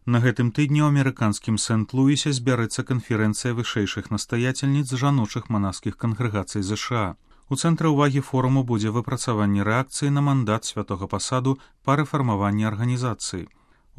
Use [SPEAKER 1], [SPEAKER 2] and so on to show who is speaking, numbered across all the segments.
[SPEAKER 1] На гэтым тыдні ў амерыканскім Сент-Луісе збярэцца канферэнцыя вышэйшых настаяцельніц жаночых манаскіх кангрэгацый ЗША. У цэнтры ўвагі форуму будзе выпрацаванне рэакцыі на мандат святога пасаду па рэфармаванні арганізацыі.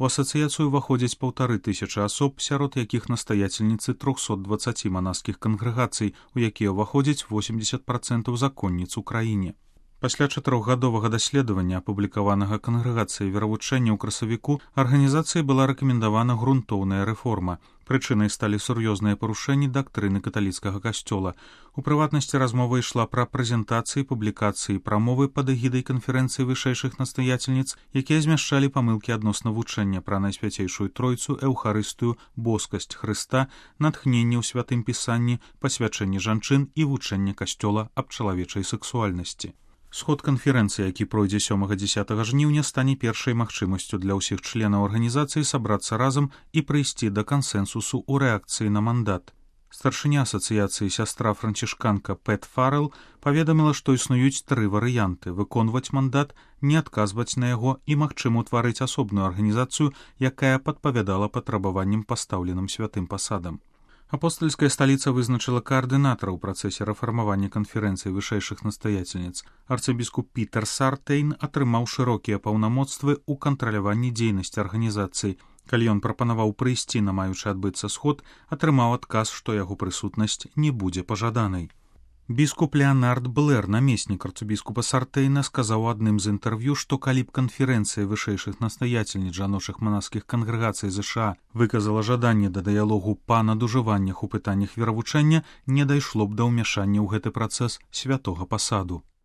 [SPEAKER 1] У асацыяцыю ўваходзяць 1500 асоб, сярод якіх настаяцельніцы 320 манаскіх кангрэгацый, у якія ўваходзяць 80% законніц у краіне. Пасля 4гадовага даследавання, апублікаванага кангрэгацыяй веравучэння ў красавіку, арганізацыі была рэкамендавана грунтоўная рэформа. Прычынай сталі сур'ёзныя парушэнні дактрыны каталіцкага касцёла. У прыватнасці размова ішла пра прэзентацыі, публікацыі, прамовы пад эгідай канферэнцыі вышэйшых настаяцельніц, якія змяшчалі памылкі адносна вучэння пра найсвяцейшую тройцу, эўхарыстыю, боскасць Хрыста, натхненне ў святым пісанні, пасвячэнне жанчын і вучэнне касцёла аб чалавечай сэксуальнасці. Сход канферэнцыі, які пройдзе 7-10 жніўня, стане першай магчымасцю для ўсіх членаў арганізацыі сабрацца разам і прыйсці да кансэнсусу ў рэакцыі на мандат. Старшыня асацыяцыі сястра францішканка Пэт Фаррелл паведаміла, што існуюць 3 варыянты: выконваць мандат, не адказваць на яго і, магчыма, утварыць асобную арганізацыю, якая падпавядала патрабаванням, пастаўленым святым пасадам. Апостальская сталіца вызначыла каардынатара ў працэсе рэфармавання канферэнцыі вышэйшых настаяцельніц. Арцыбіскуп Пітер Сартейн атрымаў шырокія паўнамоцтвы ў кантраляванні дзейнасці арганізацыі. Калі ён прапанаваў прыйсці на маючы адбыцца сход, атрымаў адказ, што яго прысутнасць не будзе пажаданай. Біскуп Леонард Блэр, намеснік арцыбіскупа Сартейна, сказаў у адным з інтэрв'ю, што калі б канферэнцыя вышэйшых настаяцельніц жаночых манаскіх кангрэгацый ЗША выказала жаданне да дыялогу па надужываннях у пытаннях веравучэння, не дайшло б да ўмяшання ў гэты працэс святога пасаду.